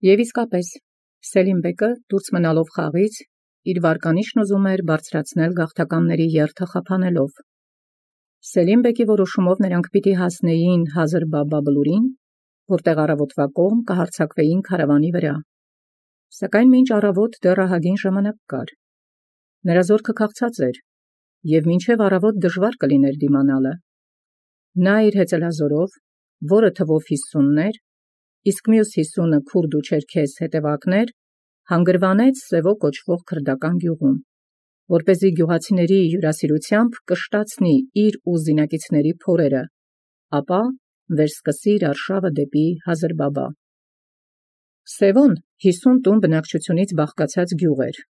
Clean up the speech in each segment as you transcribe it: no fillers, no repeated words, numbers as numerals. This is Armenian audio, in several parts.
Եվ իսկապես Սելիմ բեկը դուրս մնալով խաղից իր վարկանիշն ուզում էր բարձրացնել գաղթականների երթը խափանելով։ Սելիմ բեկի որոշումով նրանք պիտի հասնեին Հազր-Բաբա բլուրին, որտեղ առավոտվա կողմ կհարձակվեին քարավանի վրա։ Սակայն մինչ առավոտ դեռ ահագին ժամանակ կար։ Նրա զորքը քաղցած էր, և մինչև առավոտ դժվար կլիներ դիմանալը։ Նա իր հեծելազորով, որը թվով 50 էր, իսկ մյուս 50 քուրդ ու չերքեզ հետևակներ, հանգրվանեց Սևո կոչվող քրդական գյուղում, որպեսզի գյուղացիների հյուրասիրությամբ կշտացնի իր ու զինակիցների փորերը, ապա վերսկսի իր արշավը դեպի Հազր-Բաբա։ Սևոն 50 տուն բնակչությունից բաղկացած գյուղ էր,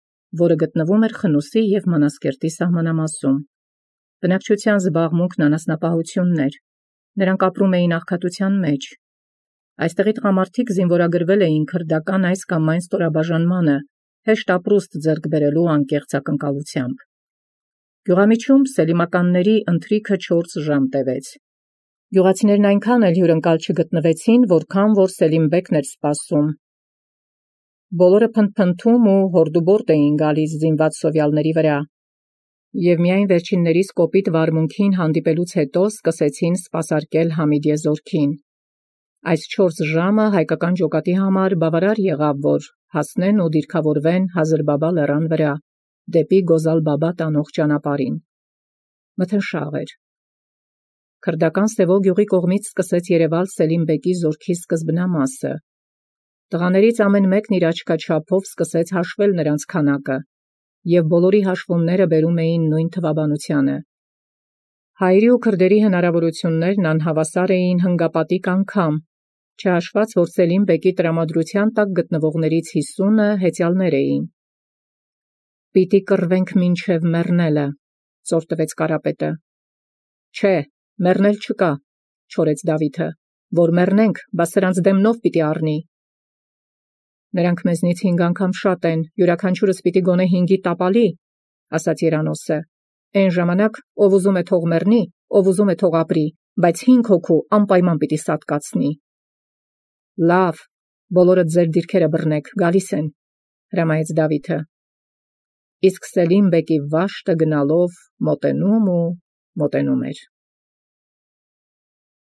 որը գտնվում էր Խնուսի և Մանասկերտի սահմանամասում։ Բնակչության զբաղմունքն անասնապահությունն էր, նրանք ապրում էին աղքատության մեջ։ Այստեղի տղամարդիկ զինվորագրվել էին քրդական այս կամ այն ստորաբաժանմանը, հեշտ ապրուստ ձեռք բերելու անկեղծ ակնկալությամբ։ Գյուղամիջում սելիմականների ընթրիքը 4 ժամ տևեց։ Գյուղացիներն այնքան էլ հյուրընկալ չգտնվեցին, որքան որ Սելիմ բեկն էր սպասում։ Բոլորը փնթփնթում ու հորդուբորտ էին գալիս զինված սովյալների վրա, և միայն վերջիններիս կոպիտ վարմունքին հանդիպելուց հետո սկսեցին սպասարկել Համիդիե զորքին։ Այս 4 ժամը հայկական ջոկատի համար բավարար եղավ, որ հասնեն ու դիրքավորվեն Հազր-Բաբա լեռան վրա, դեպի Գոզալ-Բաբա տանող ճանապարհին։ Մթնշաղ էր։ Քրդական Սևո գյուղի կողմից սկսեց երևալ Սելիմ բեկի զորքի սկզբնամասը։ Տղաներից ամեն մեկն իր աչքաչափով սկսեց հաշվել նրանց քանակը, և բոլորի հաշվումները բերում էին նույն թվաբանությանը։ Հայերի ու քրդերի հնարավորություններն անհավասար էին հնգապատիկ անգամ, չհաշված, որ Սելիմ բեկի տրամադրության տակ գտնվողներից 50 հեծյալներ էին։ «Պիտի կռվենք մինչև մեռնելը», ծոր տվեց Կարապետը։ «Չէ, մեռնել չկա», չորեց Դավիթը, «որ մեռնենք, բա սրանց դեմնով պիտի առնի»։ «Նրանք մեզնից 5 անգամ շատ են, յուրաքանչյուրս պիտի գոնե 5-ի տապալի», ասաց Երանոսը։ «Էն ժամանակ ով ուզում է թող մեռնի, ով ուզում է թող ապրի, բայց 5 հոգու անպայման պիտի սատկացնի»։ «Լավ, բոլորդ ձեր դիրքերը բռնեք, գալիս են», հրամայեց Դավիթը։ Իսկ Սելիմ բեկի վաշտը գնալով մոտենում ու մոտենում էր։